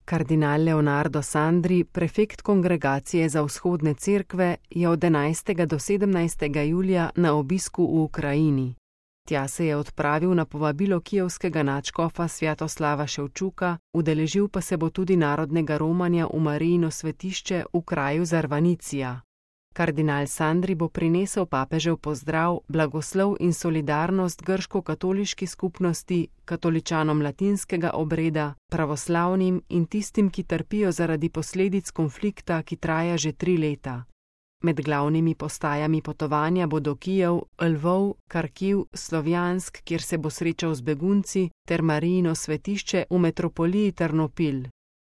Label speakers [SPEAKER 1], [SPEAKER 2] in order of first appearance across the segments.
[SPEAKER 1] Kardinal Leonardo Sandri, prefekt Kongregacije za vzhodne cerkve, je od 11. do 17. julija na obisku v Ukrajini. Tja se je odpravil na povabilo kijevskega nadškofa Svjatoslava Ševčuka, udeležil pa se bo tudi narodnega romanja v Marijino svetišče v kraju Zarvanicija. Kardinal Sandri bo prinesel papežev pozdrav, blagoslov in solidarnost grško-katoliški skupnosti, katoličanom latinskega obreda, pravoslavnim in tistim, ki trpijo zaradi posledic konflikta, ki traja že 3 leta. Med glavnimi postajami potovanja bodo Kijev, Lvov, Karkiv, Slovjansk, kjer se bo srečal z begunci, ter Marijino svetišče v metropoliji Ternopil.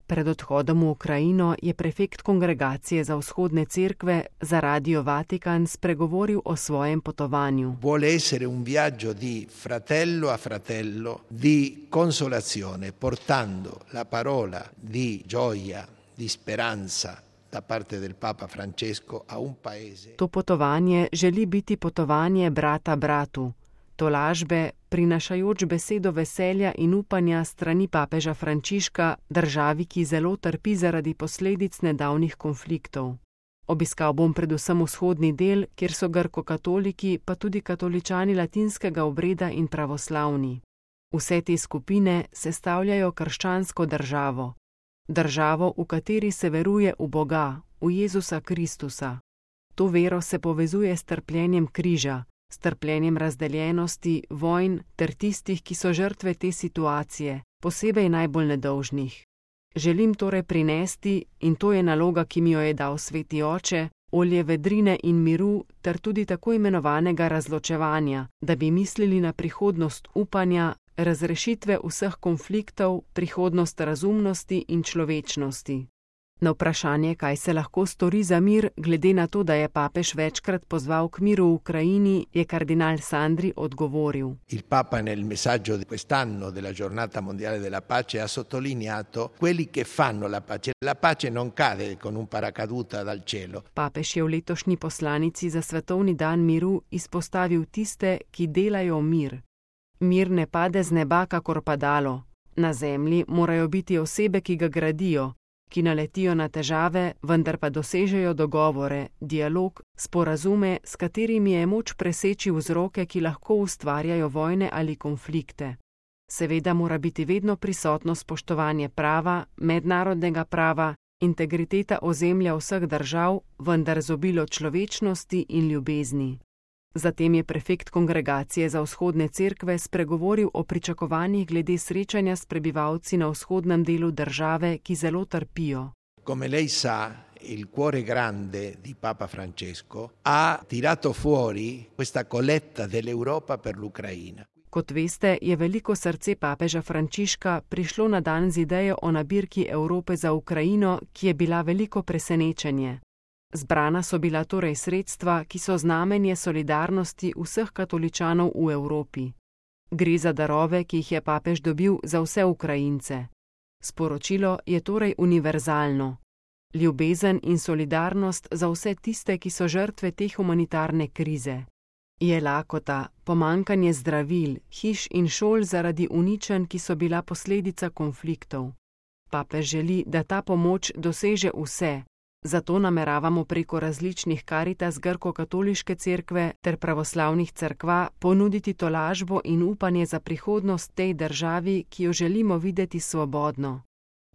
[SPEAKER 1] Pred odhodom v Ukrajino je prefekt Kongregacije za vzhodne cerkve za Radio Vatikan spregovoril o svojem potovanju.
[SPEAKER 2] Vuole essere un viaggio di fratello a fratello, di consolazione, portando la parola di gioia, di speranza da parte del Papa Francesco a un paese.
[SPEAKER 1] To potovanje želi biti potovanje brata bratu, tolažbe, prinašajoč besedo veselja in upanja strani papeža Frančiška, državi, ki zelo trpi zaradi posledic nedavnih konfliktov. Obiskal bom predvsem vzhodni del, kjer so grko-katoliki, pa tudi katoličani latinskega obreda in pravoslavni. Vse te skupine sestavljajo krščansko državo. Državo, v kateri se veruje v Boga, v Jezusa Kristusa. To vero se povezuje s trpljenjem križa, s trpljenjem razdeljenosti, vojn ter tistih, ki so žrtve te situacije, posebej najbolj nedolžnih. Želim torej prinesti, in to je naloga, ki mi jo je dal Sveti Oče, olje vedrine in miru ter tudi tako imenovanega razločevanja, da bi mislili na prihodnost upanja, razrešitve vseh konfliktov, prihodnost razumnosti in človečnosti. Na vprašanje, kaj se lahko stori za mir, glede na to, da je papež večkrat pozval k miru v Ukrajini, je kardinal Sandri odgovoril.
[SPEAKER 2] Il Papa nel messaggio di quest'anno della Giornata Mondiale della Pace ha sottolineato quelli che fanno la pace. La pace non cade con un paracaduta dal cielo.
[SPEAKER 1] Papež je v letošnji poslanici za svetovni dan miru izpostavil tiste, ki delajo mir. Mir ne pade z neba kakor padalo. Na zemlji morajo biti osebe, ki ga gradijo, ki naletijo na težave, vendar pa dosežejo dogovore, dialog, sporazume, s katerimi je moč preseči vzroke, ki lahko ustvarjajo vojne ali konflikte. Seveda mora biti vedno prisotno spoštovanje prava, mednarodnega prava, integriteta ozemlja vseh držav, vendar z obilo človečnosti in ljubezni. Zatem je prefekt Kongregacije za vzhodne cerkve spregovoril o pričakovanjih glede srečanja s prebivalci na vzhodnem delu države, ki zelo trpijo.
[SPEAKER 2] Come lei sa, il cuore grande di Papa Francesco ha tirato fuori questa colletta dell'Europa per l'Ucraina.
[SPEAKER 1] Kot veste, je veliko srce papeža Frančiška prišlo na dan z idejo o nabirki Evrope za Ukrajino, ki je bila veliko presenečenje. Zbrana so bila torej sredstva, ki so znamenje solidarnosti vseh katoličanov v Evropi. Gre za darove, ki jih je papež dobil za vse Ukrajince. Sporočilo je torej univerzalno. Ljubezen in solidarnost za vse tiste, ki so žrtve te humanitarne krize. Je lakota, pomanjkanje zdravil, hiš in šol zaradi uničenj, ki so bila posledica konfliktov. Papež želi, da ta pomoč doseže vse. Zato nameravamo preko različnih Karitas grko-katoliške cerkve ter pravoslavnih cerkva ponuditi tolažbo in upanje za prihodnost tej državi, ki jo želimo videti svobodno.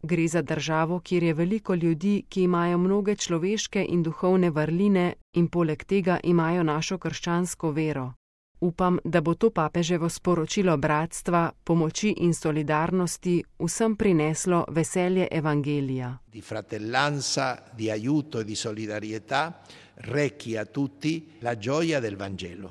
[SPEAKER 1] Gre za državo, kjer je veliko ljudi, ki imajo mnoge človeške in duhovne vrline in poleg tega imajo našo krščansko vero. Upam, da bo to papeževo sporočilo bratstva, pomoči in solidarnosti vsem prineslo veselje evangelija.
[SPEAKER 2] Di fratellanza, di aiuto e di solidarietà, rechi a tutti la gioia del Vangelo.